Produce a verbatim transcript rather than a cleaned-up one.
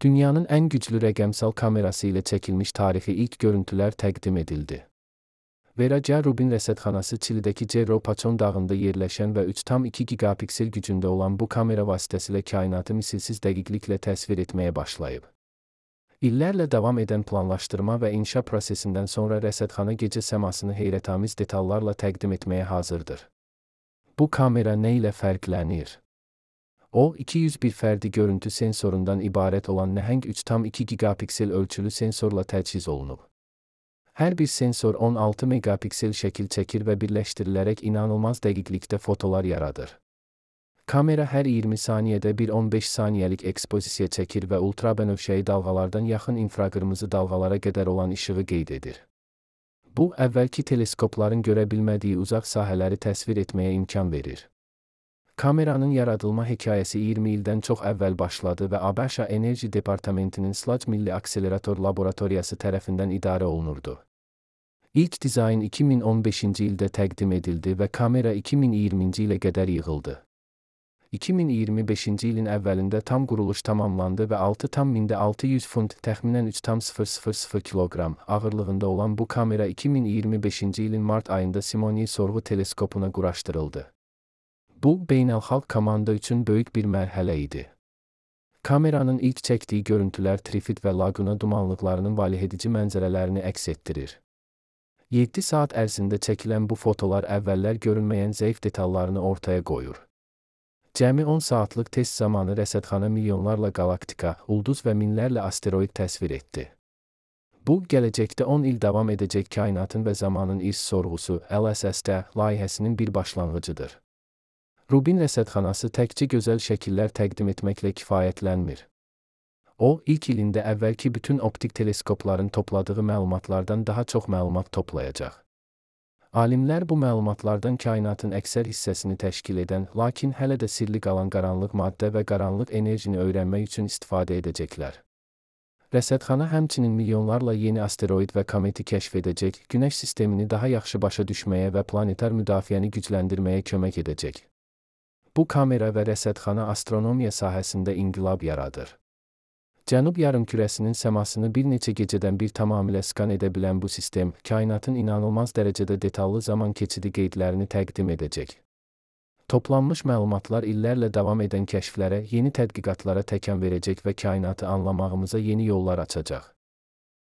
Dünyanın en güçlü rəqəmsal kamerası ilə çəkilmiş tarixi ilk görüntülər təqdim edildi. Vera Rubin rəsədxanası Çilidəki Cerro Paçon dağında yerləşən və üç tam iki gigapiksel gücündə olan bu kamera vasitəsilə kainatı misilsiz dəqiqliklə təsvir etməyə başlayıb. İllərlə davam edən planlaşdırma və inşa prosesindən sonra rəsədxana gecə səmasını heyrətamiz detallarla təqdim etməyə hazırdır. Bu kamera nə ilə fərqlənir? O, iki yüz bir fərdi görüntü sensorundan ibarət olan nəhəng üç tam iki gigapiksel ölçülü sensorla təchiz olunub. Hər bir sensor on altı megapiksel şəkil çəkir və birləşdirilərək inanılmaz dəqiqlikdə fotolar yaradır. Kamera hər iyirmi saniyədə bir on beş saniyəlik ekspozisiya çəkir və ultrabənövşəyi dalğalardan yaxın infraqırmızı dalğalara qədər olan işığı qeyd edir. Bu, əvvəlki teleskopların görə bilmədiyi uzaq sahələri təsvir etməyə imkan verir. Kameranın yaradılma hekayəsi iyirmi ildən çox əvvəl başladı və ABŞ Enerji Departamentinin Sludge Milli Akselerator Laboratoriyası tərəfindən idarə olunurdu. İlk dizayn iki min on beşinci ildə təqdim edildi və kamera iki min iyirminci ilə qədər yığıldı. iki min iyirmi beşinci ilin əvvəlində tam quruluş tamamlandı və altı tam mində altı yüz funt, təxminən üç tam sıfır sıfır sıfır kiloqram ağırlığında olan bu kamera iki min iyirmi beşinci ilin mart ayında Simony sorğu teleskopuna quraşdırıldı. Bu, beynəlxalq komanda üçün böyük bir mərhələ idi. Kameranın ilk çəkdiyi görüntülər Trifid və Laguna dumanlıqlarının valehedici mənzərələrini əks etdirir. yeddi saat ərzində çəkilən bu fotolar əvvəllər görünməyən zəif detallarını ortaya qoyur. Cəmi on saatlıq test zamanı rəsədxana milyonlarla qalaktika, ulduz və minlərlə asteroid təsvir etdi. Bu, gələcəkdə on il davam edəcək kainatın və zamanın irs sorğusu L S S-də layihəsinin bir başlanğıcıdır. Rubin rəsədxanası təkcə gözəl şəkillər təqdim etməklə kifayətlənmir. O, ilk ilində əvvəlki bütün optik teleskopların topladığı məlumatlardan daha çox məlumat toplayacaq. Alimlər bu məlumatlardan kainatın əksər hissəsini təşkil edən, lakin hələ də sirli qalan qaranlıq maddə və qaranlıq enerjini öyrənmək üçün istifadə edəcəklər. Rəsədxana həmçinin milyonlarla yeni asteroid və kometi kəşf edəcək, Günəş sistemini daha yaxşı başa düşməyə və planetar müdafiəni gücləndirməyə kömək edəcək. Bu kamera və rəsədxana astronomiya sahəsində inqilab yaradır. Cənub yarımkürəsinin səmasını bir neçə gecədən bir tamamilə skan edə bilən bu sistem, kainatın inanılmaz dərəcədə detallı zaman keçidi qeydlərini təqdim edəcək. Toplanmış məlumatlar illərlə davam edən kəşflərə, yeni tədqiqatlara təkan verəcək və kainatı anlamağımıza yeni yollar açacaq.